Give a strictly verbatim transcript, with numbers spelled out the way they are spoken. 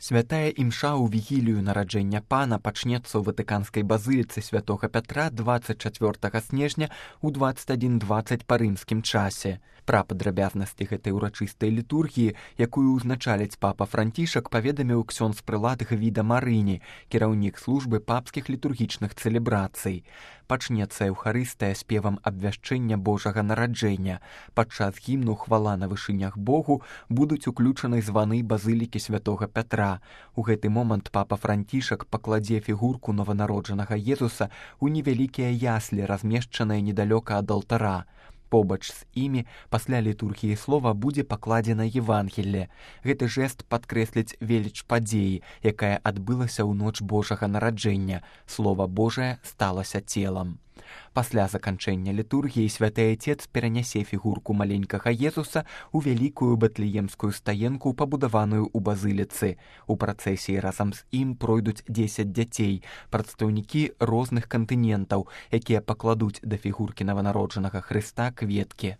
Святая імша ў вігілію нараджэння пана пачнецца ў ватыканскай базыліцы святога Пятра дваццаць чацвёртага снежня ў дваццаць адзін дваццаць па рымскім часе. Пра падрабязнасці гэтай урачыстай літургіі, якую ўзначаліць папа Францішак, паведаміў ксёндз прылад Гвіда Марыні, кіраўнік службы папскіх літургічных цэлебрацый. Пачнецца эўхарыстыя спевам абвяшчэння Божага нараджэння. Падчас гімну «Хвала на вышынях Богу» будуць уключаны званы базылікі святога Пятра. У гэты момант папа Францішак пакладзе фігурку нованароджанага Езуса ў невялікія яслі, размешчаныя недалёка ад алтара. Побач з імі пасля літургіі слова будзе пакладзена Евангелле. Гэты жэст падкрэсліць веліч падзеі, якая адбылася ў ноч Божага нараджэння. Слова Божае сталася целам. Пасля заканчэння літургіі святы Айцец перанясе фігурку маленькага Езуса ў вялікую бэтлеемскую стаенку, пабудаваную ў базыліцы. У працэсіі разам з ім пройдуць дзесяць дзяцей, прадстаўнікі розных кантынентаў, якія пакладуць да фігуркі нованароджанага Хрыста кветкі.